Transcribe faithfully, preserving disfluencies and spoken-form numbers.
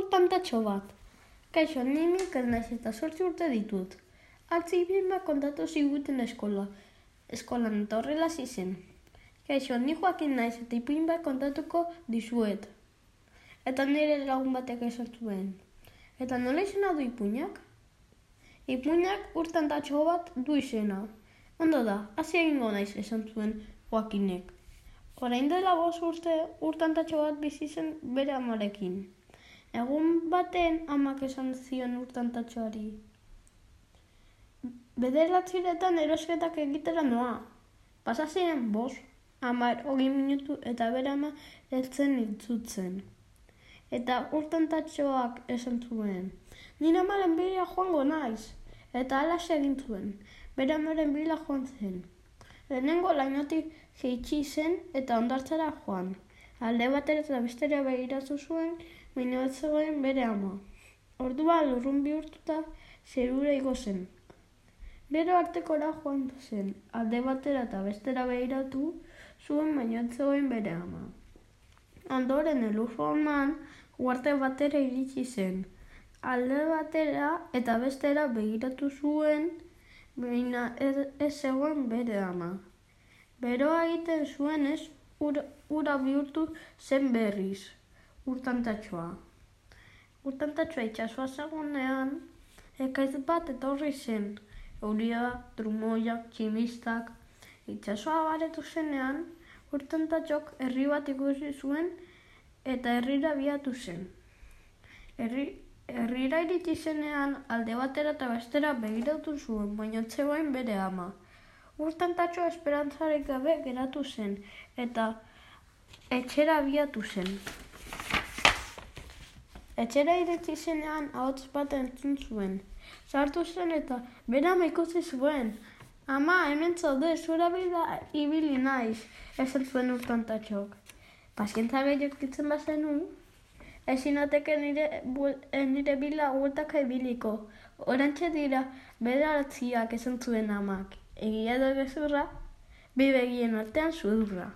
Urtantatxo bat. Kaixo, ni Mikel naiz eta zortzi urte ditut. Atzi bima kontatu ziguten eskola. Eskolan eta horrela zizen. Kaixo, ni Joakin naiz eta ipuin bat kontatuko dizuet. Eta nire lagun batek esan zuen. Eta nola izena du ipuinak? Ipuinak urtantatxo bat du izena. Ondo da, hasi egingo naiz esan zuen Joakinek. Orain dela bost urte urtantatxo bat bizi zen bere amarekin. Egun baten amak esan zion urtantatxoari. Bederatziretan erosketak egitera noa. Pasa ziren bost, hamar, hogei minutu eta bere ama heltzen itzutzen. Eta urtantatxoak esan zuen. Nire amaren bila joango naiz. Eta halaxe egin zuen. Bere amaren bila joan zen. Lehenengo lainotik jeitsi zen eta hondartzara joan. Alde batera eta bestera begiratu zuen, baina ez zegoen bere ama. Ordua lurrun bihurtuta zerura igo zen. Bero artekora joan zen. Alde batera eta bestera begiratu zuen, baina ez zegoen bere ama. Ondoren elurforman uarte batera iritsi zen. Alde batera eta bestera begiratu zuen, baina ez, ez zegoen bere ama. Beroa egiten zuenez, ura, ura bihurtu zen berriz, urtantatxoa. Urtantatxoa itxasoa zegoenean, ekaitz bat etorri zen. Euria, trumoiak, tximistak. Itxasoa baretu zenean, urtantatxok herri bat ikusi zuen eta herrira biatu zen. Herri, herrira iritsi zenean, alde batera eta bestera begiratu zuen, baina ez zegoen bere ama. Urtantatxoa esperantzarik gabe geratu zen eta etxera biatu zen. Etxera iritsi zenean ahots bat entzun zuen. Sartu zen eta bere ama ikusi zuen. Ama, hemen zaude, zura bila ibili naiz, esan zuen urtantatxok. Pazientza gehiokitzen bazenu, ezin ateke nire, nire bila hueltaka ibiliko. Orantxe dira bederatziak esan zuen amak. Egia da gezurra, bi begien artean sudurra.